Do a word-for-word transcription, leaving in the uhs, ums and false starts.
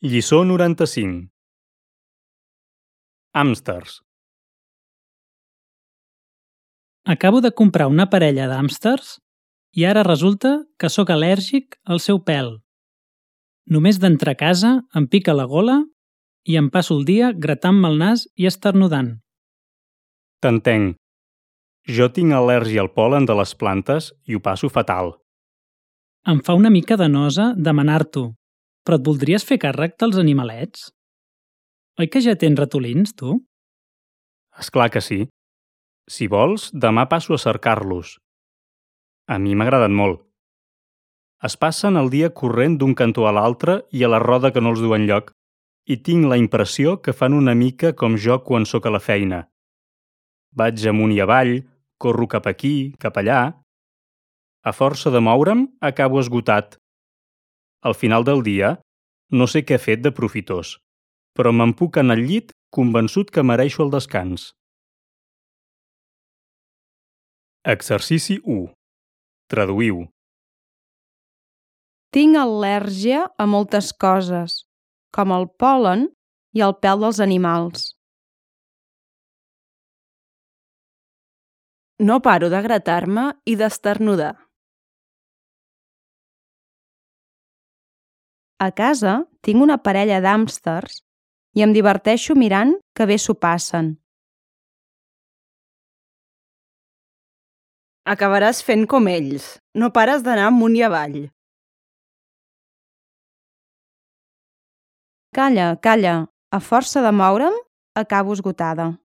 Lliçó noranta-cinc. Hàmsters. Acabo de comprar una parella d'hàmsters i ara resulta que sóc al·lèrgic al seu pèl. Només d'entrar a casa em pica la gola i em passo el dia gratant-me el nas i esternudant. T'entenc. Jo tinc al·lèrgia al pol·len de les plantes i ho passo fatal. Em fa una mica de nosa demanar-t'ho, però et voldries fer càrrec dels animalets? Oi que ja tens ratolins, tu? És clar que sí. Si vols, demà passo a cercar-los. A mi m'agraden molt. Es passen el dia corrent d'un cantó a l'altre i a la roda que no els du enlloc, i tinc la impressió que fan una mica com jo quan sóc a la feina. Vaig amunt i avall, corro cap aquí, cap allà. A força de moure'm, acabo esgotat. Al final del dia, no sé què he fet de profitós, però me'n puc anar al llit convençut que mereixo el descans. Exercici u. Traduïu. Tinc al·lèrgia a moltes coses, com el pol·len i el pèl dels animals. No paro de gratar-me i d'esternudar. A casa tinc una parella d'hàmsters i em diverteixo mirant que bé s'ho passen. Acabaràs fent com ells. No pares d'anar amunt i avall. Calla, calla. A força de moure'm, acabo esgotada.